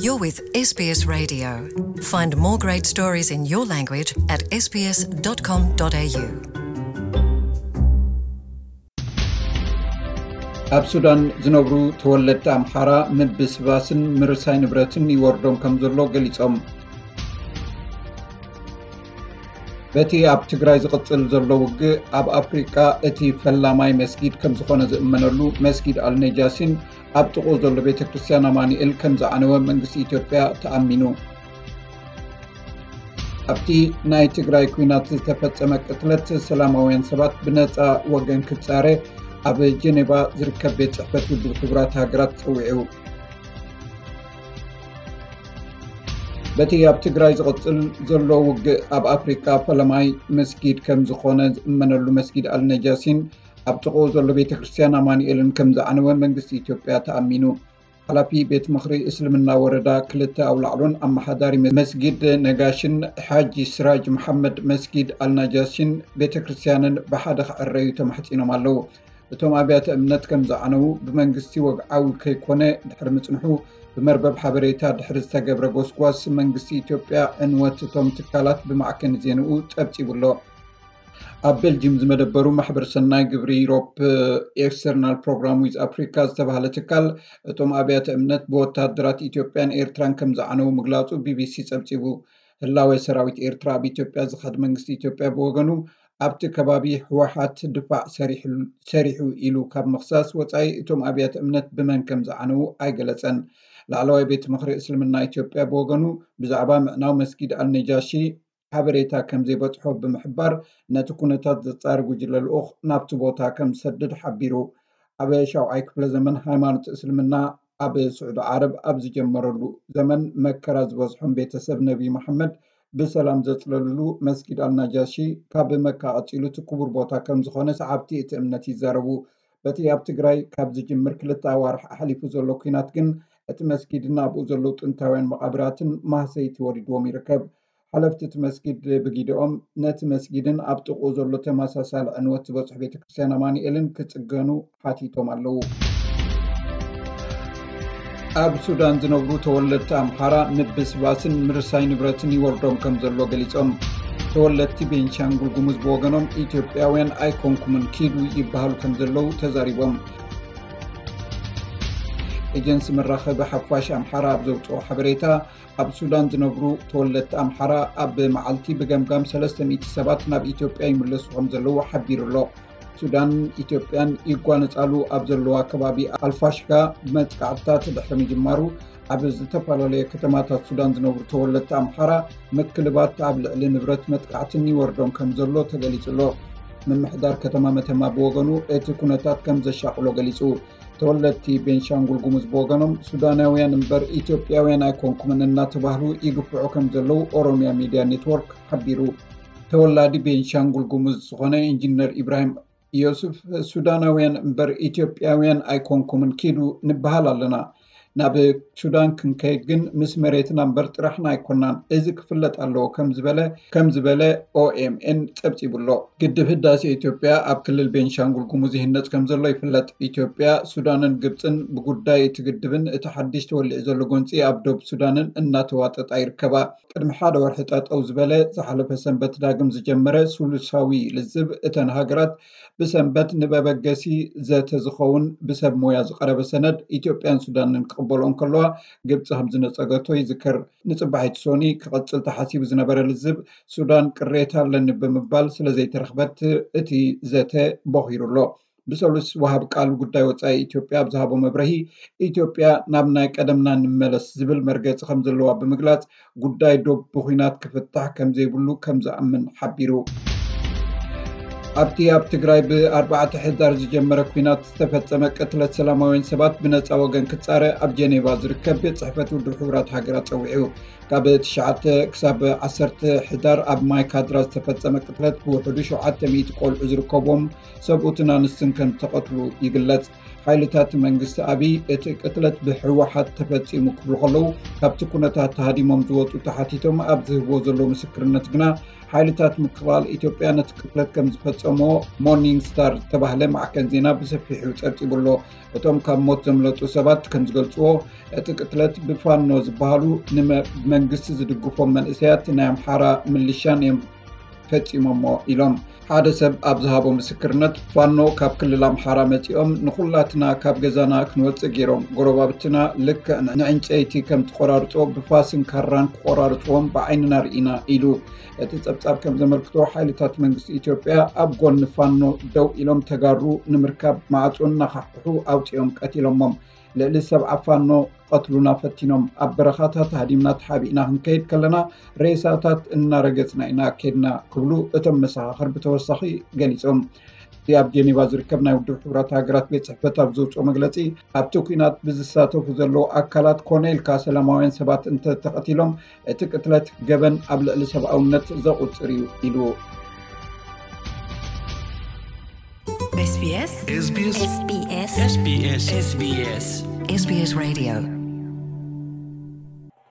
You're with S B S Radio. Find more great stories in your language at S B S dot com dot A U. ኣብ ሱዳን ዝነብሩ ተወለድቲ ኣምሓራ ምብስባስን ምርሳይ ንብረትን ይወርዶም ከም ዘሎ ገሊጾም። በቲ ኣብ ትግራይ ዝቕጽል ዘሎ ውግእ፣ ኣብ ኣፍሪቃ እቲ ፈላማይ መስጊድ ከም ዝኾነ ዝእመነሉ መስጊድ ኣልነጃሲን ኣብ ጥቕኡ ዘሎ ቤተ ክርስቲያን ኣማኑኤል ከም ዝዓነወ መንግስቲ ኢትዮጵያ ተኣሚኑ። ኣብቲ ናይ ትግራይ ኲናት ዝተፈጸመ ቅትለት ሰላማውያን ሰባት ብነጻ ወገን ክጻረ ኣብ ጀኔቫ ዝርከብ ቤት ጽሕፈት ውድብ ሕቡራት ሃገራት ጸዊዑ። በቲ ኣብ ትግራይ ዝቕጽል ዘሎ ውግእ፣ ኣብ ኣፍሪቃ ፈለማይ መስጊድ ከም ዝኾነ ዝእመነሉ መስጊድ ኣልነጃሲን ኣብ ጥቕኡ ዘሎ ቤተ ክርስቲያን ኣማኑኤልን ከም ዝዓነወ መንግስቲ ኢትዮጵያ ተኣሚኑ። ሓላፊ ቤት ምኽሪ እስልምና ወረዳ ክልተ ኣውላዕሎን ኣመሓዳሪ መስጊድ ነጋሽን ሓጂ ስራጅ መሓመድ መስጊድ ኣልናጃሽን ቤተ ክርስቲያንን ብሓደ ክዕረዩ ተማሕጺኖም ኣለዉ። እቶም ኣብያተ እምነት ከም ዝዓነዉ ብመንግስቲ ወግዓዊ ከይኮነ ድሕሪ ምጽንሑ፣ ብመርበብ ሓበሬታ ድሕሪ ዝተገብረ ጎስጓስ መንግስቲ ኢትዮጵያ ዕንወት እቶም ትካላት ብማዕከን ዜንኡ ጸብጺቡ ኣሎ። ኣብ ቤልጅም ዝመደበሩ ማሕበር ሰናይ ግብሪ ዩሮፕ ኤክስተርናል ፕሮግራም ዊዝ ኣፍሪካ ዝተባህለ ትካል፣ እቶም ኣብያተ እምነት ብወታደራት ኢትዮጵያን ኤርትራን ከም ዝዓነዉ ምግላጹ ቢቢሲ ጸብጺቡ። ህላወ ሰራዊት ኤርትራ ኣብ ኢትዮጵያ ዝኸድ መንግስቲ ኢትዮጵያ ብወገኑ፣ ኣብቲ ከባቢ ህወሓት ድፋዕ ሰሪሑ፣ ሰሪሑ ኢሉ ካብ ምኽሳስ ወጻኢ፣ እቶም ኣብያተ እምነት ብመን ከም ዝዓነዉ ኣይገለጸን። ላዕለዋይ ቤት ምኽሪ እስልምና ኢትዮጵያ ብወገኑ፣ ብዛዕባ ምዕናው መስጊድ ኣልነጃሺ ሓበሬታ ከም ዘይበጽሖ ብምሕባር፣ ነቲ ኩነታት ዘጻሪ ጉጅለ ልኡኽ ናብቲ ቦታ ከም ዝሰድድ ሓቢሩ። ኣብ ሻውዓይ ክፍለ ዘመን ሃይማኖት እስልምና ኣብ ስዑዲ ዓረብ ኣብ ዝጀመረሉ ዘመን፣ መከራ ዝበዝሖም ቤተሰብ ነቢ መሓመድ ብሰላም ዘጽለሉሉ መስጊድ ኣልናጃሺ፣ ካብ መካ ቀጺሉ እቲ ክቡር ቦታ ከም ዝኾነ ሰዓብቲ እቲ እምነት ይዛረቡ። በቲ ኣብ ትግራይ ካብ ዝጅምር ክልተ ኣዋርሕ ኣሕሊፉ ዘሎ ኲናት ግን፣ እቲ መስጊድን ኣብኡ ዘለዉ ጥንታውያን መቓብራትን ማህሰይቲ ወሪድዎም ይርከብ። ሓለፍቲ እቲ መስጊድ ብጊደኦም፣ ነቲ መስጊድን ኣብ ጥቕኡ ዘሎ ተመሳሳሊ ዕንወት ዝበጽሑ ቤተ ክርስቲያን ኣማኑኤልን ክጽገኑ ሓቲቶም ኣለዉ። ኣብ ሱዳን ዝነብሩ ተወለድቲ ኣምሓራ ምብስባስን ምርሳይ ንብረትን ይወርዶም ከም ዘሎ ገሊጾም። ተወለድቲ ቤንሻንጉል ጉሙዝ ብወገኖም፣ ኢትዮጵያውያን ኣይኮንኩምን፣ ኪዱ ይበሃሉ ከም ዘለዉ ተዛሪቦም። ኤጀንሲ መራኸቢ ሓፋሽ ኣምሓራ ኣብ ዘውጽኦ ሓበሬታ፣ ኣብ ሱዳን ዝነብሩ ተወለድቲ ኣምሓራ ኣብ መዓልቲ ብገምጋም ሰለስተ ሚእቲ ሰባት ናብ ኢትዮጵያ ይምለሱ ከም ዘለዉ ሓቢሩ ኣሎ። ሱዳን ኢትዮጵያን ይጓነጻሉ ኣብ ዘለዋ ከባቢ ኣልፋሽጋ መጥቃዕትታት ድሕሪ ምጅማሩ፣ ኣብ ዝተፈላለየ ከተማታት ሱዳን ዝነብሩ ተወለድቲ ኣምሓራ ምክልባት ኣብ ልዕሊ ንብረት መጥቃዕትን ይወርዶም ከም ዘሎ ተገሊጹ ኣሎ። ምምሕዳር ከተማ መተማ ብወገኑ፣ እቲ ኩነታት ከም ዘሻቕሎ ገሊጹ። ተወለድቲ ቤንሻንጉል ጉሙዝ ብወገኖም፣ ሱዳናውያን እምበር ኢትዮጵያውያን ኣይኮንኩምን እናተባህሉ ይግፍዑ ከም ዘለዉ ኦሮሚያ ሚድያ ኔትወርክ ሓቢሩ። ተወላዲ ቤንሻንጉል ጉሙዝ ዝኾነ ኢንጂነር ኢብራሂም ዮሱፍ፣ ሱዳናውያን እምበር ኢትዮጵያውያን ኣይኮንኩምን፣ ኪዱ ንበሃል ኣለና። ናብ ሱዳን ክንከይድ ግን ምስ መሬትና እምበር ጥራሕና ኣይኮናን። እዚ ክፍለጥ ኣለዎ ከም ዝበለ፣ ከም ዝበለ ኦኤምኤን ጸብጺቡ ኣሎ። ግድብ ህዳሴ ኢትዮጵያ ኣብ ክልል ቤንሻንጉል ጉሙዝ ይህነጽ ከም ዘሎ ይፍለጥ። ኢትዮጵያ፣ ሱዳንን ግብጽን ብጉዳይ እቲ ግድብን እቲ ሓድሽ ተወሊዑ ዘሎ ጎንጺ ኣብ ዶብ ሱዳንን እናተዋጠጣ ይርከባ። ቅድሚ ሓደ ወርሒ ጠጠው ዝበለ፣ ዝሓለፈ ሰንበት ዳግም ዝጀመረ ሱሉሳዊ ልዝብ እተን ሃገራት፣ ብሰንበት ንመበገሲ ዘተ ዝኸውን ብሰብ ሞያ ዝቐረበ ሰነድ ኢትዮጵያን ሱዳንን ክቕበልኦ እንከለዋ፣ ግብጺ ከም ዝነጸገቶ ይዝከር። ንጽባሒቲ ሶኒ ክቕጽል ተሓሲቡ ዝነበረ ልዝብ፣ ሱዳን ቅሬታ ኣለኒ ብምባል ስለ ዘይተረኽበት፣ እቲ ዘተ ቦኺሩ ኣሎ። ብሰሉስ ወሃብ ቃል ጉዳይ ወጻኢ ኢትዮጵያ ኣብ ዝሃቦ መብርሂ፣ ኢትዮጵያ ናብ ናይ ቀደምና ንመለስ ዝብል መርገጺ ከም ዘለዋ ብምግላጽ፣ ጉዳይ ዶብ ብኹናት ክፍታሕ ከም ዘይብሉ ከም ዝኣምን ሓቢሩ። ኣብቲ ኣብ ትግራይ ብኣርባዕተ ሕዳር ዝጀመረ ኲናት ዝተፈጸመ ቅትለት ሰላማውያን ሰባት ብነጻ ወገን ክጻረ ኣብ ጀኔቫ ዝርከብ ቤት ጽሕፈት ውድብ ሕቡራት ሃገራት ጸዊዑ። ካብ ትሽዓተ ክሳብ ዓሰርተ ሕዳር ኣብ ማይ ካድራ ዝተፈጸመ ቅትለት ብውሕዱ ሸውዓተ ሚእቲ ቆልዑ ዝርከብዎም ሰብኡትን ኣንስትን ከም ዝተቐትሉ ይግለጽ። ሓይልታት መንግስቲ ኣብይ እቲ ቅትለት ብህወሓት ተፈጺሙ ክብሉ ከለዉ፣ ካብቲ ኩነታት ተሃዲሞም ዝወጹ ተሓቲቶም ኣብ ዝህብዎ ዘለዉ ምስክርነት ግና፣ ሓይልታት ምክልኻል ኢትዮጵያ ነቲ ቅትለት ከም ዝፈጸሞ ሞርኒንግ ስታር ዝተባህለ ማዕከን ዜና ብሰፊሑ ጸብጺቡ ኣሎ። እቶም ካብ ሞት ዘምለጡ ሰባት ከም ዝገልጽዎ፣ እቲ ቅትለት ብፋኖ ዝበሃሉ ንመንግስቲ ዝድግፎም መንእሰያት ናይ ኣምሓራ ምልሻን እዮም ፈጺሞሞ ኢሎም። ሓደ ሰብ ኣብ ዝሃቦ ምስክርነት፣ ፋኖ ካብ ክልል ኣምሓራ መጺኦም ንኹላትና ካብ ገዛና ክንወጽእ ገይሮም፣ ጎረባብትና ልክዕ ንዕንጨይቲ ከም ትቆራርጾ ብፋስን ካራን ክቆራርጽዎም ብዓይንና ርኢና ኢሉ። እቲ ጸብጻብ ከም ዘመልክቶ፣ ሓይልታት መንግስቲ ኢትዮጵያ ኣብ ጎኒ ፋኖ ደው ኢሎም ተጋሩ ንምርካብ ማዕጾ እናኻሕኩሑ ኣውጺኦም ቀቲሎሞም። ልዕሊ ሰብዓ ፋኖ ክቐትሉና ፈቲኖም፣ ኣብ በረኻታት ሃዲምና ተሓቢእና ክንከይድ ከለና ሬሳታት እናረገጽና ኢና ከድና ክብሉ እቶም መሰኻኽር ብተወሳኺ ገሊጾም። እቲ ኣብ ጀኔቫ ዝርከብ ናይ ውድብ ሕቡራት ሃገራት ቤት ጽሕፈት ኣብ ዘውፅኦ መግለጺ፣ ኣብቲ ኲናት ብዝሳተፉ ዘለዉ ኣካላት ኮነ ኢልካ ሰላማውያን ሰባት እንተተቐቲሎም እቲ ቅትለት ገበን ኣብ ልዕሊ ሰብኣውነት ዘቑጽር እዩ ኢሉ። SBS SBS SBS SBS SBS Radio